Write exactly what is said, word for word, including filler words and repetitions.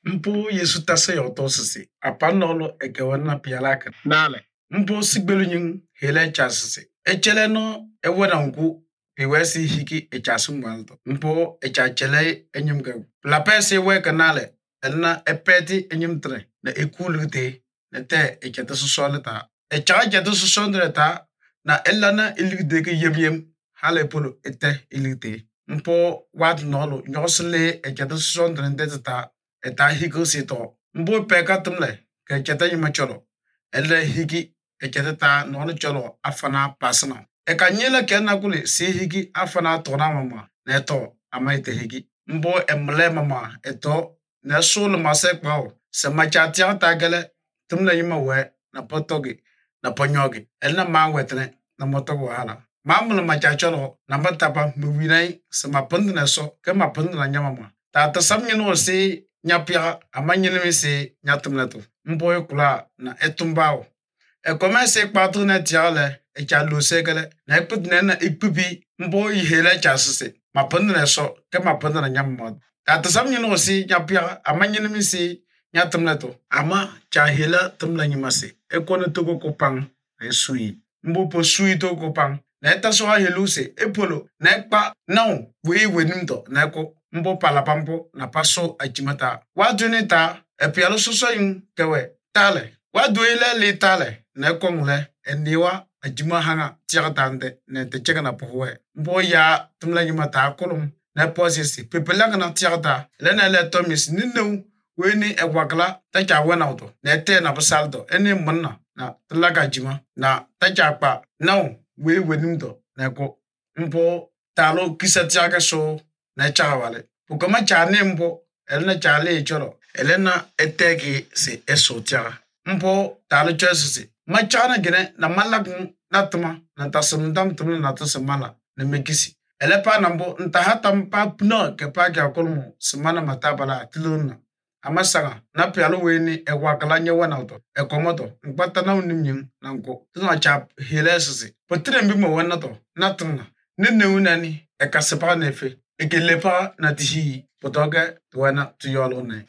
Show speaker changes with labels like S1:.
S1: Mpo Yesu tase yoto sisi. Apanolo ekewana pialaka. Nale. Mpo sigbelu nying hele chasisi. Echele no ewena unku piwesi hiki echasu mwalto. Mpo echachele enyumge. La pesi we kanale. Elna epeti enyumtre. Na ekulute. Na te echete susoleta. Echa echete susondreta. Na elana iligdeke yem yem. Hale polo ete iligte. Mpo wat nolo nyosle echete susondrente ta. Eta hiki sito. Mbo peka tumle. Ke cheta yima cholo. Ele hiki echete ta nono cholo afana pasana. Eka nyele kena kuli si hiki afana tona mama. Neto amaite hiki. Mbo emle mama eto ne solo masek pao. Se machatia tagele tumle yima we na potogi na ponyogi. Elna ma wetne na motogo hala. Mamula machacholo na matapa mwinai se mapundu na so ke mapundu na nyamama. Ta tasam nyino si nyapia amanyele mi se nyatumleto. Mbo kula na etumbao. E komese kpatu na tiale e chalu segele na ekput na ikpubi mbo ihele chasise. Mapundu na so ke mapundu na nyamama. Ta tasam nyino si nyapia amanyele mi se nyatumleto. Ama cha hela tumla nyimase. E kone toko kopang na sui. Mbo po sui toko kopang. Na eta so ha heluse epolo na ekpa now we wenimdo na eko mbo palapampo na paso ajimata wadunita epialo soso yin kewe tale waduile li tale na ekongle eniwa ajima hanga tiagtande na te chega na pohwe mbo ya tumla nyimata kolum na posisi pepelang na tiagta lena le tomis ninu weni egwakla ta cha wenauto na te na basaldo eni munna na tlaga jima na ta cha pa now we wenimdo na ko mpo talo kisatiaga so na chawale ukama chane mpo elena chale cholo elena etegi se esotia mpo talo chesisi machana gene na malagun natuma na tasumdam tumna na tasamala na mekisi elepa nambo ntahatam pa pno ke pa ga kolmo semana matabala tiluna amasanga na pialo weni egwakala nyewana auto ekomoto ngbata na unimnyim na nko tuna chap hilesisi potre mbimo wanato natuna nene unani ekasepa nefe ekelepa na tihi potoge tuwana tuyolo ne